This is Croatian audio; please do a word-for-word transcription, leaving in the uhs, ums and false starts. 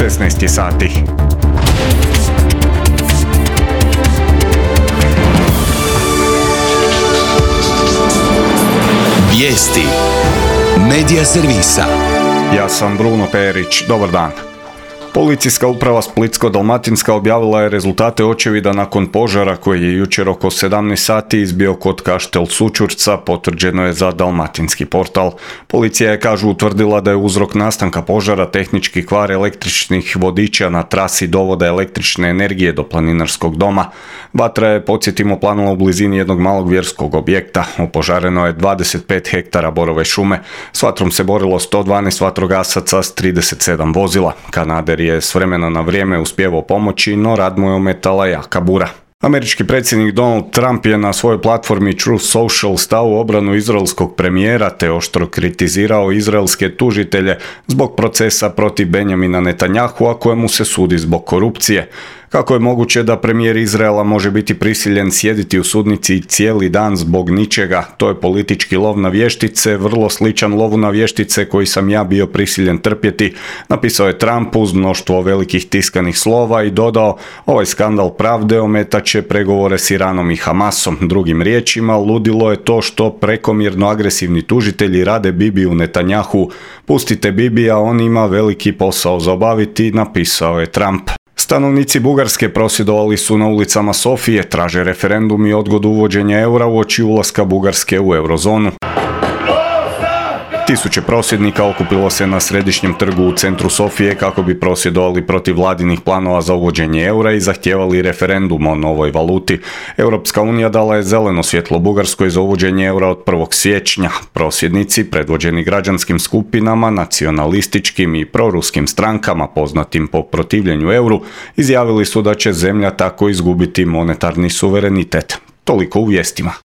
šesnaest sati. Vijesti Medija servisa. Ja sam Bruno Perić, dobar dan. Policijska uprava Splitsko-dalmatinska objavila je rezultate očevida nakon požara koji je jučer oko sedamnaest sati izbio kod Kaštel Sućurca, potvrđeno je za Dalmatinski portal. Policija je, kažu, utvrdila da je uzrok nastanka požara tehnički kvar električnih vodiča na trasi dovoda električne energije do planinarskog doma. Vatra je, podsjetimo, planula u blizini jednog malog vjerskog objekta. Opožareno je dvadeset pet hektara borove šume. S vatrom se borilo sto dvanaest vatrogasaca s trideset sedam vozila. Kanader je s vremena na vrijeme uspjevao pomoći, no rad mu je ometala jaka bura. Američki predsjednik Donald Trump je na svojoj platformi Truth Social stao u obranu izraelskog premijera te oštro kritizirao izraelske tužitelje zbog procesa protiv Benjamina Netanyahua kojemu se sudi zbog korupcije. Kako je moguće da premijer Izraela može biti prisiljen sjediti u sudnici cijeli dan zbog ničega? To je politički lov na vještice, vrlo sličan lovu na vještice koji sam ja bio prisiljen trpjeti, napisao je Trump uz mnoštvo velikih tiskanih slova i dodao: ovaj skandal pravde ometat će pregovore s Iranom i Hamasom. Drugim riječima, ludilo je to što prekomjerno agresivni tužitelji rade Bibiju Netanjahu. Pustite Bibija, on ima veliki posao za obaviti, napisao je Trump. Stanovnici Bugarske prosvjedovali su na ulicama Sofije, traže referendum i odgodu uvođenja eura uoči ulaska Bugarske u eurozonu. Tisuće prosvjednika okupilo se na središnjem trgu u centru Sofije kako bi prosvjedovali protiv vladinih planova za uvođenje eura i zahtijevali referendum o novoj valuti. Europska unija dala je zeleno svjetlo Bugarskoj za uvođenje eura od prvog siječnja. Prosvjednici, predvođeni građanskim skupinama, nacionalističkim i proruskim strankama poznatim po protivljenju euru, izjavili su da će zemlja tako izgubiti monetarni suverenitet. Toliko u vijestima.